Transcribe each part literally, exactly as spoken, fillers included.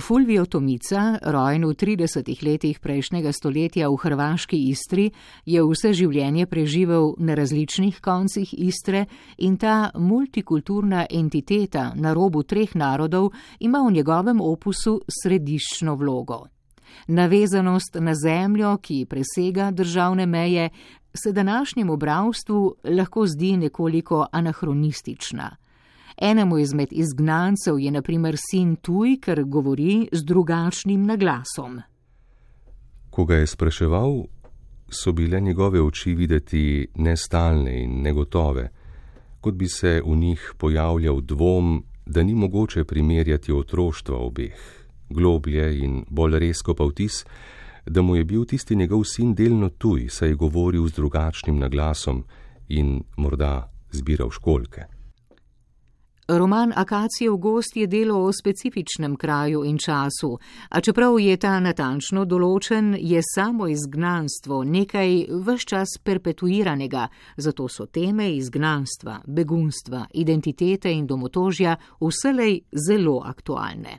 Fulvio Tomica, rojen v tridesetih letih prejšnjega stoletja v hrvaški Istri, je vse življenje preživel na različnih koncih Istre in ta multikulturna entiteta na robu treh narodov ima v njegovem opusu središčno vlogo. Navezanost na zemljo, ki presega državne meje, se današnjemu bralstvu lahko zdi nekoliko anahronistična. Enemu izmed izgnancev je na primer sin tuj, ker govori z drugačnim naglasom. Ko ga je spraševal, so bile njegove oči videti nestalne in negotove, kot bi se v njih pojavljal dvom, da ni mogoče primerjati otroštva obeh, globlje in bolj rezko pa vtis, da mu je bil tisti njegov sin delno tuj, saj je govoril z drugačnim naglasom in morda zbiral školjke. Roman Akacijev gozd je delo o specifičnem kraju in času, a čeprav je ta natančno določen, je samo izgnanstvo nekaj ves čas perpetuiranega, zato so teme izgnanstva, begunstva, identitete in domotožja vselej zelo aktualne.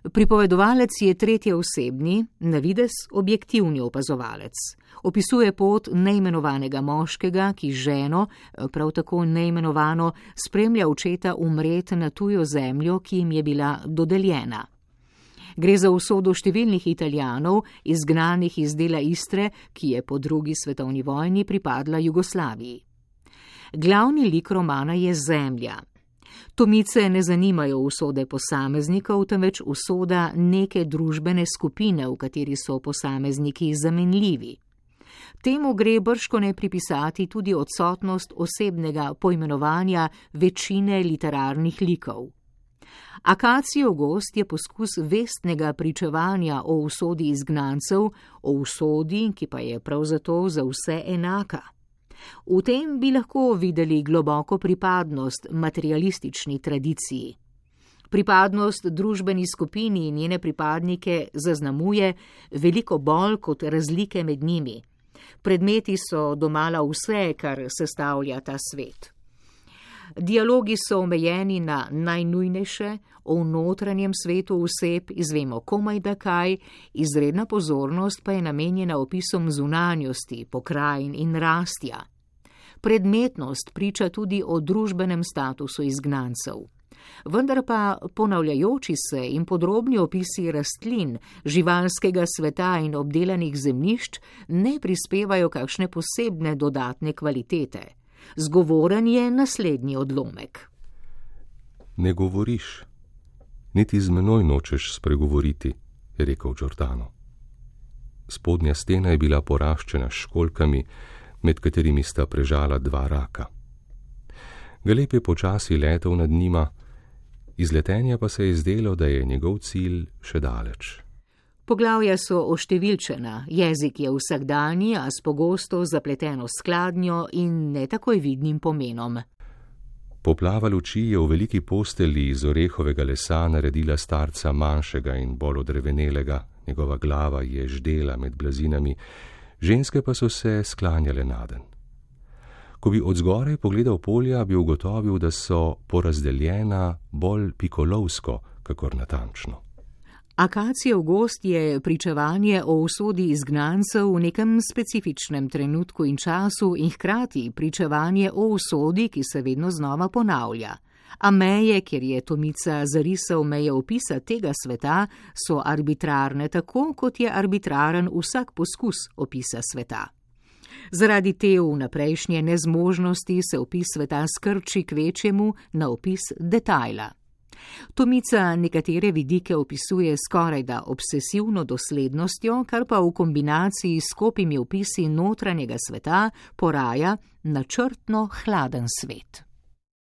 Pripovedovalec je tretjeosebni, na videz objektivni opazovalec. Opisuje pot neimenovanega moškega, ki ženo, prav tako neimenovano, spremlja očeta umret na tujo zemljo, ki jim je bila dodeljena. Gre za usodo številnih Italijanov, izgnanih iz dela Istre, ki je po drugi svetovni vojni pripadla Jugoslaviji. Glavni lik romana je zemlja. Tomice ne zanimajo usode posameznikov, temveč usoda neke družbene skupine, v kateri so posamezniki zamenljivi. Temu gre bržkone pripisati tudi odsotnost osebnega poimenovanja večine literarnih likov. Akacijev gozd je poskus vestnega pričevanja o usodi izgnancev, o usodi, ki pa je prav zato za vse enaka. V tem bi lahko videli globoko pripadnost materialistični tradiciji. Pripadnost družbeni skupini in njene pripadnike zaznamuje veliko bolj kot razlike med njimi. Predmeti so domala vse, kar sestavlja ta svet. Dialogi so omejeni na najnujnejše, o notranjem svetu oseb izvemo komajda kaj, izredna pozornost pa je namenjena opisom zunanjosti, pokrajin in rastja. Predmetnost priča tudi o družbenem statusu izgnancev. Vendar pa ponavljajoči se in podrobni opisi rastlin, živalskega sveta in obdelanih zemljišč ne prispevajo kakšne posebne dodatne kvalitete. Zgovoren je naslednji odlomek. Ne govoriš, niti z menoj nočeš spregovoriti, je rekel Giordano. Spodnja stena je bila poraščena s školjkami, med katerimi sta prežala dva raka. Galeb je počasi letel nad njima, iz letenja pa se je zdelo, da je njegov cilj še daleč. Poglavja so oštevilčena, jezik je vsakdanji, a s pogosto zapleteno skladnjo in ne takoj vidnim pomenom. Poplava luči je v veliki postelji iz orehovega lesa naredila starca manjšega in bolj odrevenelega, njegova glava je ždela med blazinami, ženske pa so se sklanjale naden. Ko bi od zgoraj pogledal polja, bi ugotovil, da so porazdeljena bolj pikolovsko, kakor natančno. Akacijev gozd je pričevanje o usodi izgnancev v nekem specifičnem trenutku in času in hkrati pričevanje o usodi, ki se vedno znova ponavlja. A meje, kjer je Tomica zarisal meje opisa tega sveta, so arbitrarne tako, kot je arbitraren vsak poskus opisa sveta. Zaradi te vnaprejšnje nezmožnosti se opis sveta skrči k večjemu na opis detajla. Tomica nekatere vidike opisuje skorajda obsesivno doslednostjo, kar pa v kombinaciji s skopimi opisi notranjega sveta poraja načrtno hladen svet.